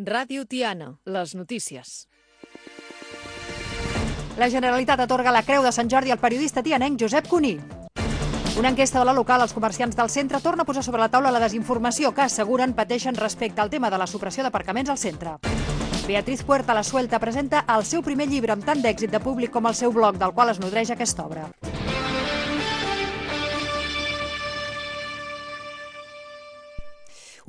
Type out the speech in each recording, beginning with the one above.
Ràdio Tiana, les notícies. La Generalitat atorga la Creu de Sant Jordi al periodista tianenc Josep Cuní. Una enquesta de la local als comerciants del centre torna a posar sobre la taula la desinformació que asseguren pateixen respecte al tema de la supressió d'aparcaments al centre. Beatriz Puerta la Suelta presenta el seu primer llibre amb tant d'èxit de públic com el seu blog, del qual es nodreix aquesta obra.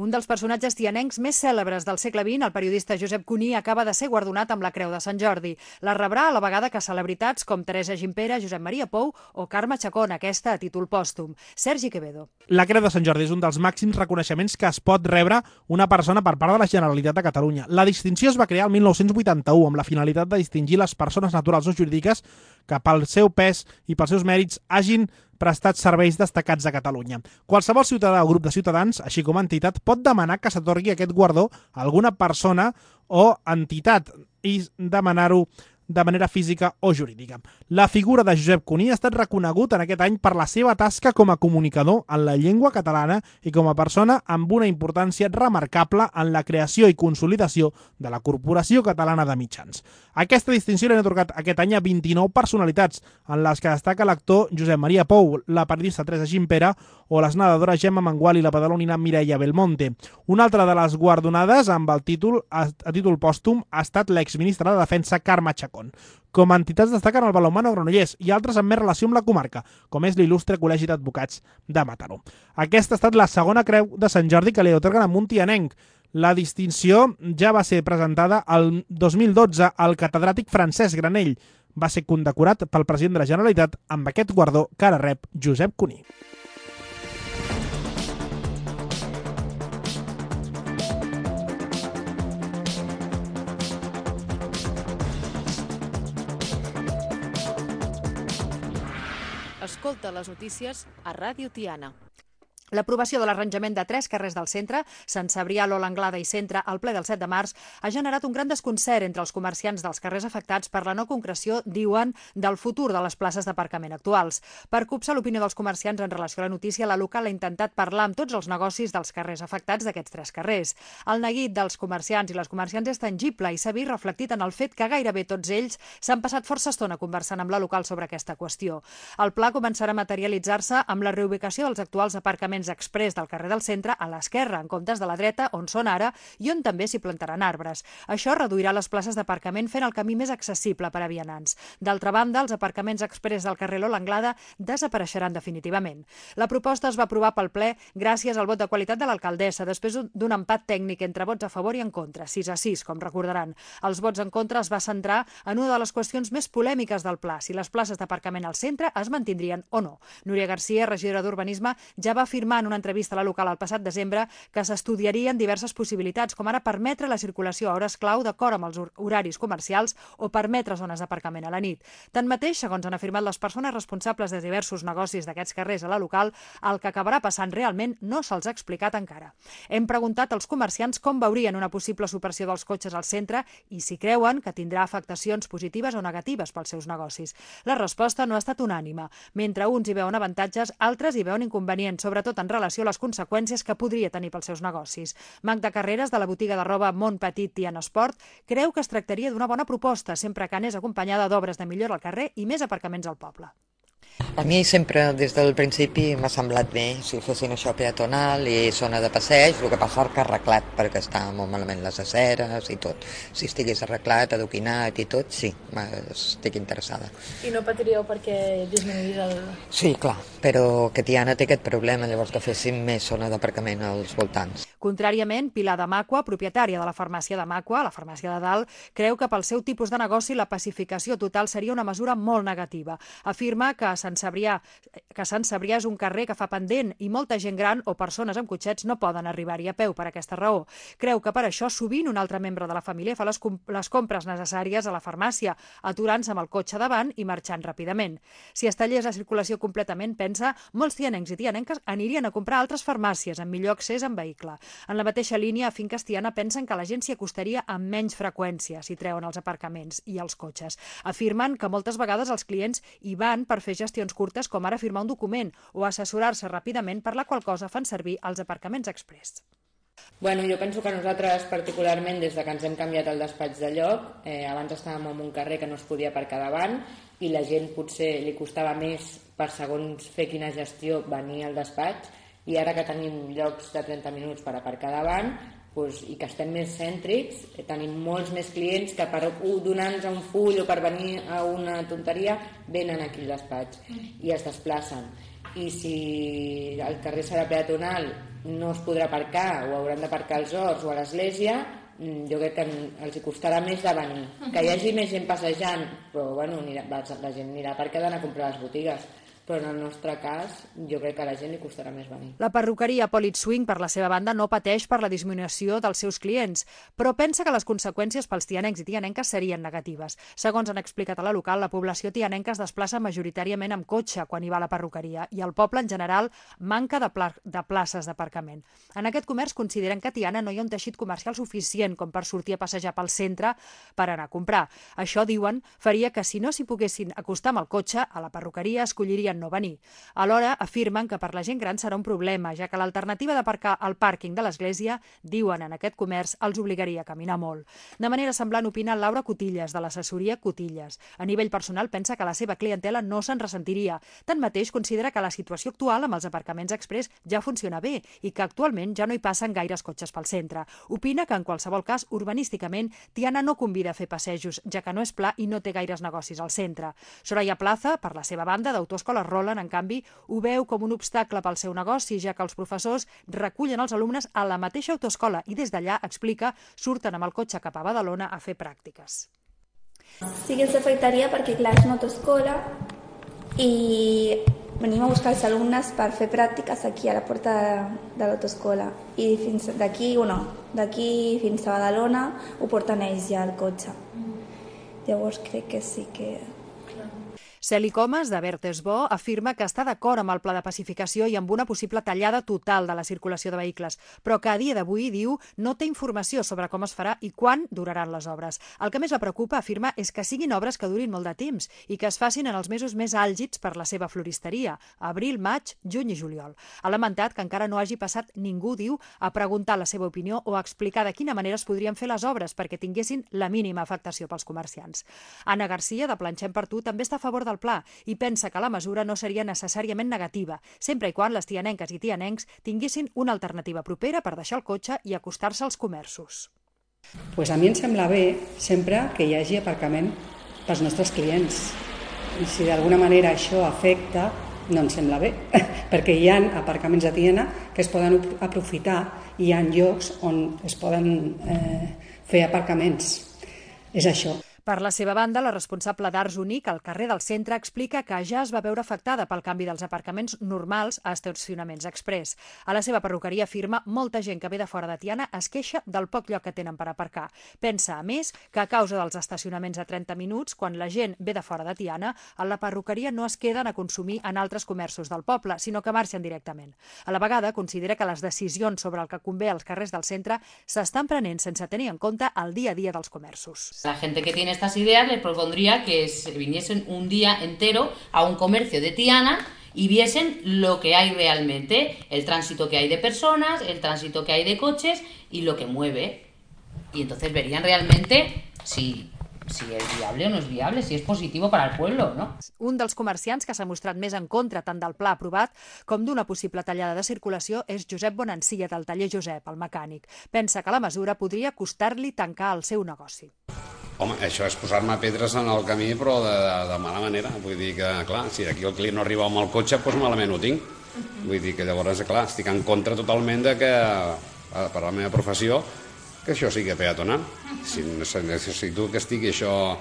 Un dels personatges tianencs més cèlebres del segle XX, el periodista Josep Cuní, acaba de ser guardonat amb la Creu de Sant Jordi. La rebrà a la vegada que celebritats com Teresa Gimpera, Josep Maria Pou o Carme Chacón, aquesta a títol pòstum. Sergi Quevedo. La Creu de Sant Jordi és un dels màxims reconeixements que es pot rebre una persona per part de la Generalitat de Catalunya. La distinció es va crear el 1981 amb la finalitat de distingir les persones naturals o jurídiques que pel seu pes i pels seus mèrits hagin prestat serveis destacats a Catalunya. Qualsevol ciutadà o grup de ciutadans, així com entitat, pot demanar que s'atorgui aquest guardó a alguna persona o entitat i demanar-ho de manera física o jurídica. La figura de Josep Cuní ha estat reconegut en aquest any per la seva tasca com a comunicador en la llengua catalana i com a persona amb una importància remarcable en la creació i consolidació de la Corporació Catalana de Mitjans. Aquesta distinció l'han atorgat aquest any a 29 personalitats, en les que destaca l'actor Josep Maria Pou, la periodista Teresa Gimpera o les nedadores Gemma Mengual i la badalonina Mireia Belmonte. Una altra de les guardonades amb el títol a títol pòstum ha estat l'exministra de Defensa Carme Chacón. Com a entitats destaquen el Balonmano Granollers i altres amb més relació amb la comarca, com és l'il·lustre Col·legi d'Advocats de Mataró. Aquesta ha estat la segona Creu de Sant Jordi que li atorguen a un tianenc. La distinció ja va ser presentada el 2012 al catedràtic Francesc Granell. Va ser condecorat pel president de la Generalitat amb aquest guardó que ara rep Josep Cuní. Escolta les notícies a Ràdio Tiana. L'aprovació de l'arranjament de 3 carrers del centre, Sant Cebrià, l'Ola Anglada i Centre, al ple del 7 de març, ha generat un gran desconcert entre els comerciants dels carrers afectats per la no concreció, diuen, del futur de les places d'aparcament actuals. Per copsar l'opinió dels comerciants en relació a la notícia, la local ha intentat parlar amb tots els negocis dels carrers afectats d'aquests 3 carrers. El neguit dels comerciants i les comerciants és tangible i s'ha vist reflectit en el fet que gairebé tots ells s'han passat força estona conversant amb la local sobre aquesta qüestió. El pla començarà a materialitzar-se amb la reubicació dels actuals aparcaments exprés del carrer del centre a l'esquerra, en comptes de la dreta, on són ara, i on també s'hi plantaran arbres. Això reduirà les places d'aparcament fent el camí més accessible per a vianants. D'altra banda, els aparcaments exprés del carrer Lola Anglada desapareixeran definitivament. La proposta es va aprovar pel ple gràcies al vot de qualitat de l'alcaldessa, després d'un empat tècnic entre vots a favor i en contra, 6-6, com recordaran. Els vots en contra es va centrar en una de les qüestions més polèmiques del pla, si les places d'aparcament al centre es mantindrien o no. Núria Garcia, regidora d'Urbanisme, ja va afirmar en una entrevista a la local el passat desembre que s'estudiarien diverses possibilitats, com ara permetre la circulació a hores clau d'acord amb els horaris comercials o permetre zones d'aparcament a la nit. Tanmateix, segons han afirmat les persones responsables de diversos negocis d'aquests carrers a la local, el que acabarà passant realment no se'ls ha explicat encara. Hem preguntat als comerciants com veurien una possible supressió dels cotxes al centre i si creuen que tindrà afectacions positives o negatives pels seus negocis. La resposta no ha estat unànime. Mentre uns hi veuen avantatges, altres hi veuen inconvenients, sobretot en relació a les conseqüències que podria tenir pels seus negocis. Magda Carreras, de la botiga de roba Mont Petit Tiana Esport, creu que es tractaria d'una bona proposta, sempre que anés acompanyada d'obres de millora al carrer i més aparcaments al poble. A mi sempre, des del principi, m'ha semblat bé si fessin això peatonal i zona de passeig, el que passa que arreglat, perquè està molt malament les aceres i tot. Si estigués arreglat, adoquinat i tot, sí, estic interessada. I no patiríeu perquè disminuís el... Sí, clar, però que Tiana té aquest problema, llavors que fessin més zona d'aparcament als voltants. Contràriament, Pilar de Macua, propietària de la farmàcia de Macua, la farmàcia de Dalt, creu que pel seu tipus de negoci la pacificació total seria una mesura molt negativa. Afirma que Sant Cebrià és un carrer que fa pendent i molta gent gran o persones amb cotxets no poden arribar-hi a peu per aquesta raó. Creu que per això sovint un altre membre de la família fa les compres necessàries a la farmàcia, aturant-se amb el cotxe davant i marxant ràpidament. Si es tallés la circulació completament, pensa, molts tianencs i tianenques anirien a comprar altres farmàcies amb millor accés en vehicle. En la mateixa línia, a Finques Tiana pensen que la gent s'hi acostaria amb menys freqüència si treuen els aparcaments i els cotxes. Afirmen que moltes vegades els clients hi van per fer gestions curtes com ara firmar un document o assessorar-se ràpidament, per la qual cosa fan servir els aparcaments exprés. Bueno, jo penso que nosaltres particularment, des de que ens hem canviat el despatx de lloc, abans estàvem en un carrer que no es podia aparcar davant i la gent potser li costava més per segons fer quina gestió venir al despatx, i ara que tenim llocs de 30 minuts per aparcar davant i que estem més cèntrics, tenim molts més clients que per donar-nos un full o per venir a una tonteria venen aquí al despatx i es desplacen. I si el carrer serà peatonal, no es podrà aparcar o hauran d'aparcar als horts o a l'església, jo crec que els costarà més de venir. Que hi hagi més gent passejant, però bueno, la gent anirà perquè ha d'anar a comprar a les botigues. Però en el nostre cas jo crec que a la gent li costarà més venir. La perruqueria Polit Swing, per la seva banda, no pateix per la disminució dels seus clients, però pensa que les conseqüències pels tianencs i tianenques serien negatives. Segons han explicat a la local, la població tianenca es desplaça majoritàriament amb cotxe quan hi va a la perruqueria i el poble, en general, manca de places d'aparcament. En aquest comerç consideren que a Tiana no hi ha un teixit comercial suficient com per sortir a passejar pel centre per anar a comprar. Això, diuen, faria que si no s'hi poguessin acostar amb el cotxe, a la perruqueria escollirien no venir. Alhora, afirmen que per la gent gran serà un problema, ja que l'alternativa d'aparcar al pàrquing de l'església, diuen en aquest comerç, els obligaria a caminar molt. De manera semblant opina Laura Cotillas, de l'assessoria Cotillas. A nivell personal pensa que la seva clientela no se'n ressentiria. Tanmateix, considera que la situació actual amb els aparcaments express ja funciona bé i que actualment ja no hi passen gaires cotxes pel centre. Opina que en qualsevol cas, urbanísticament, Tiana no convida a fer passejos, ja que no és pla i no té gaires negocis al centre. Soraya Plaza, per la seva banda, d'Autoescola Roland, en canvi, ho veu com un obstacle pel seu negoci, ja que els professors recullen els alumnes a la mateixa autoescola i des d'allà, explica, surten amb el cotxe cap a Badalona a fer pràctiques. Sí que ens afectaria perquè, clar, és una autoescola i venim a buscar els alumnes per fer pràctiques aquí a la porta de l'autoescola i d'aquí fins a Badalona ho porten ells ja al cotxe. Llavors crec que sí que... Celi Comas, de Bertesbo, afirma que està d'acord amb el pla de pacificació i amb una possible tallada total de la circulació de vehicles, però que a dia d'avui, diu, no té informació sobre com es farà i quan duraran les obres. El que més la preocupa, afirma, és que siguin obres que durin molt de temps i que es facin en els mesos més àlgids per la seva floristeria, abril, maig, juny i juliol. Ha lamentat que encara no hagi passat ningú, diu, a preguntar la seva opinió o a explicar de quina manera es podrien fer les obres perquè tinguessin la mínima afectació pels comerciants. Anna Garcia, de Planxem per Tu, també està a favor del pla i pensa que la mesura no seria necessàriament negativa, sempre i quan les tianenques i tianencs tinguessin una alternativa propera per deixar el cotxe i acostar-se als comerços. Pues a mi em sembla bé sempre que hi hagi aparcament pels nostres clients. I si d'alguna manera això afecta, no em sembla bé, perquè hi ha aparcaments a Tiana que es poden aprofitar i hi ha llocs on es poden fer aparcaments. És això. Per la seva banda, la responsable d'Arts Unic al carrer del centre explica que ja es va veure afectada pel canvi dels aparcaments normals a estacionaments express. A la seva perruqueria afirma molta gent que ve de fora de Tiana es queixa del poc lloc que tenen per aparcar. Pensa, a més, que a causa dels estacionaments a 30 minuts, quan la gent ve de fora de Tiana, a la perruqueria no es queden a consumir en altres comerços del poble, sinó que marxen directament. A la vegada, considera que les decisions sobre el que convé als carrers del centre s'estan prenent sense tenir en compte el dia a dia dels comerços. La gente que tiene estas ideas les propondría que se viniesen un día entero a un comercio de Tiana y viesen lo que hay realmente, el tránsito que hay de personas, el tránsito que hay de coches y lo que mueve. Y entonces verían realmente si és viable o no és viable, si és positiu per al pueblo, no? Un dels comerciants que s'ha mostrat més en contra tant del pla aprovat com d'una possible tallada de circulació és Josep Bonancia, del taller Josep, el mecànic. Pensa que la mesura podria costar-li tancar el seu negoci. Home, això és posar-me pedres en el camí, però de mala manera. Vull dir que, clar, si aquí el client no arriba amb el cotxe, doncs malament ho tinc. Vull dir que llavors, clar, estic en contra totalment de que, per la meva professió, que això sigui peatonal. Si necessito que estigui això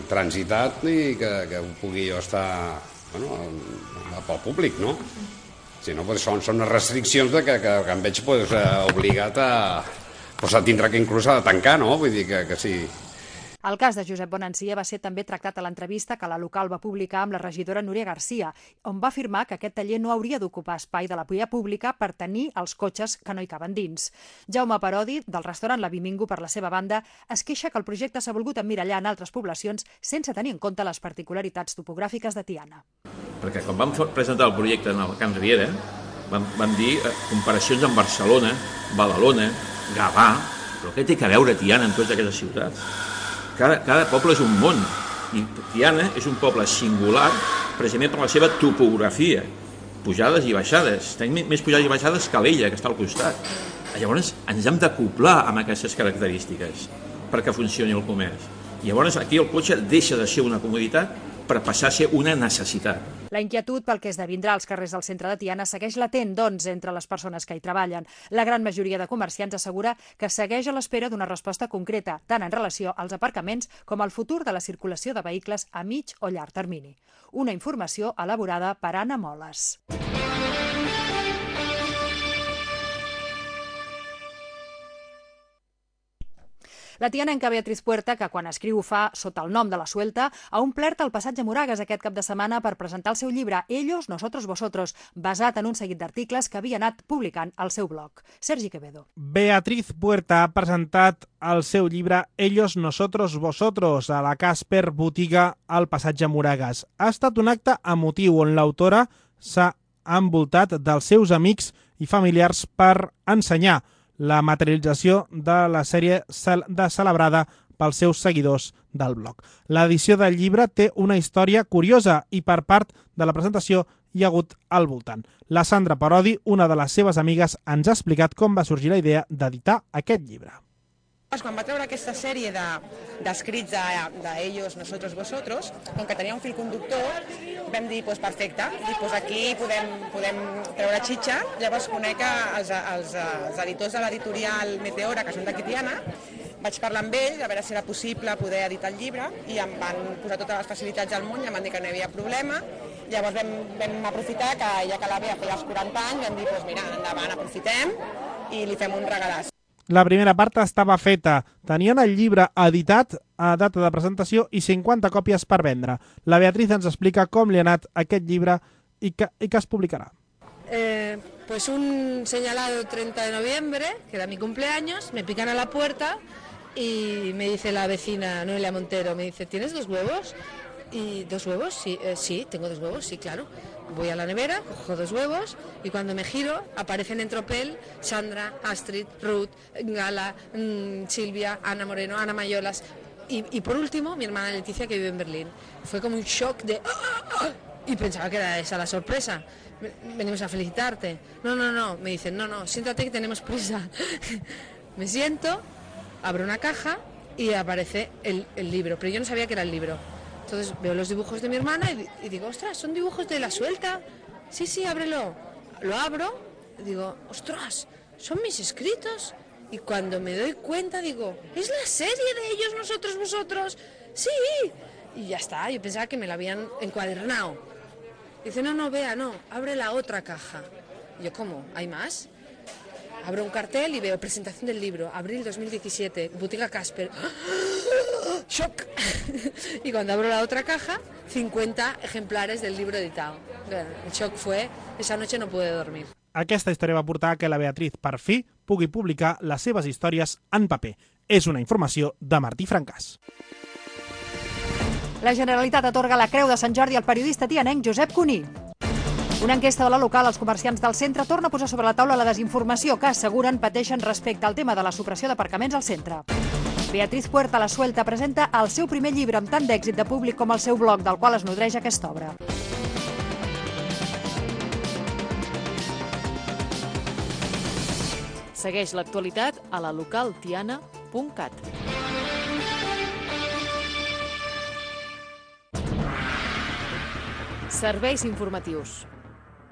transitat i que pugui jo estar pel públic, no? Si no, són unes restriccions que em veig obligat a tindre que inclús a tancar, no? Vull dir que sí. El cas de Josep Bonancia va ser també tractat a l'entrevista que la local va publicar amb la regidora Núria Garcia, on va afirmar que aquest taller no hauria d'ocupar espai de la via pública per tenir els cotxes que no hi caben dins. Jaume Parodi, del restaurant La Bimingo, per la seva banda, es queixa que el projecte s'ha volgut emmirallar en altres poblacions sense tenir en compte les particularitats topogràfiques de Tiana. Perquè quan vam presentar el projecte en el Camp Riera, Vam dir comparacions amb Barcelona, Badalona, Gavà, però què té a veure Tiana amb totes aquestes ciutats? Cada poble és un món, i Tiana és un poble singular precisament per la seva topografia, pujades i baixades. Tenim més pujades i baixades que l'Ella, que està al costat. Llavors ens hem d'acoplar amb aquestes característiques perquè funcioni el comerç. Llavors aquí el cotxe deixa de ser una comoditat per passar a ser una necessitat. La inquietud pel que esdevindrà als carrers del centre de Tiana segueix latent, doncs, entre les persones que hi treballen. La gran majoria de comerciants assegura que segueix a l'espera d'una resposta concreta, tant en relació als aparcaments com al futur de la circulació de vehicles a mig o llarg termini. Una informació elaborada per Anna Moles. La tianenca Beatriz Puerta, que quan escriu ho fa sota el nom de la Suelta, ha omplert el passatge Moragues aquest cap de setmana per presentar el seu llibre Ellos, Nosotros, Vosotros, basat en un seguit d'articles que havia anat publicant al seu blog. Sergi Quevedo. Beatriz Puerta ha presentat el seu llibre Ellos, Nosotros, Vosotros a la Casper Botiga al passatge Moragues. Ha estat un acte emotiu on l'autora s'ha envoltat dels seus amics i familiars per ensenyar la materialització de la sèrie celebrada pels seus seguidors del blog. L'edició del llibre té una història curiosa i per part de la presentació hi ha hagut al voltant. La Sandra Parodi, una de les seves amigues, ens ha explicat com va sorgir la idea d'editar aquest llibre. Quan va treure aquesta sèrie d'escrits d'Ellos, Nosotros, Vosotros, com que tenia un fil conductor, vam dir, perfecte, aquí podem treure xitxa. Llavors conec els editors de l'editorial Meteora, que són d'aquí Tiana, vaig parlar amb ells, a veure si era possible poder editar el llibre, i em van posar totes les facilitats del món i em van dir que no hi havia problema. Llavors vam aprofitar que ja que la Bea feia els 40 anys, vam dir, mira, endavant, aprofitem i li fem un regalàs. La primera part estava feta. Tenien el llibre editat a data de presentació i 50 còpies per vendre. La Beatriz ens explica com li ha anat aquest llibre i que es publicarà. Pues un señalado 30 de noviembre, que era mi cumpleaños, me pican a la puerta y me dice la vecina Noelia Montero, me dice, ¿tienes 2 huevos? ¿Y 2 huevos? Sí, sí, tengo 2 huevos, sí, claro. Voy a la nevera, cojo 2 huevos y cuando me giro aparecen en tropel Sandra, Astrid, Ruth, Gala, Silvia, Ana Moreno, Ana Mayolas y por último mi hermana Leticia, que vive en Berlín. Fue como un shock de y pensaba que era esa la sorpresa. Venimos a felicitarte. No, me dicen, no, siéntate que tenemos prisa. Me siento, abro una caja y aparece el libro, pero yo no sabía que era el libro. Entonces veo los dibujos de mi hermana y digo, ostras, son dibujos de la Suelta. Sí, ábrelo. Lo abro y digo, ostras, son mis escritos. Y cuando me doy cuenta digo, ¿es la serie de Ellos, Nosotros, Vosotros? Sí. Y ya está, yo pensaba que me la habían encuadernado. Dice, no, Bea, no, abre la otra caja. Y yo, ¿cómo? ¿Hay más? Abro un cartel y veo presentación del libro, abril 2017, Botiga Casper. ¡Shock! Y cuando abro la otra caja, 50 ejemplares del libro editado. El shock fue, esa noche no pude dormir. Aquesta història va portar que la Beatriz, per fi, pugui publicar les seves històries en paper. És una informació de Martí Francàs. La Generalitat atorga la Creu de Sant Jordi al periodista tianenc Josep Cuní. Una enquesta de la local als comerciants del centre torna a posar sobre la taula la desinformació que asseguren pateixen respecte al tema de la supressió d'aparcaments al centre. Beatriz Puerta, la Suelta, presenta el seu primer llibre amb tant d'èxit de públic com el seu blog, del qual es nodreix aquesta obra. Segueix l'actualitat a la localtiana.cat. Serveis informatius.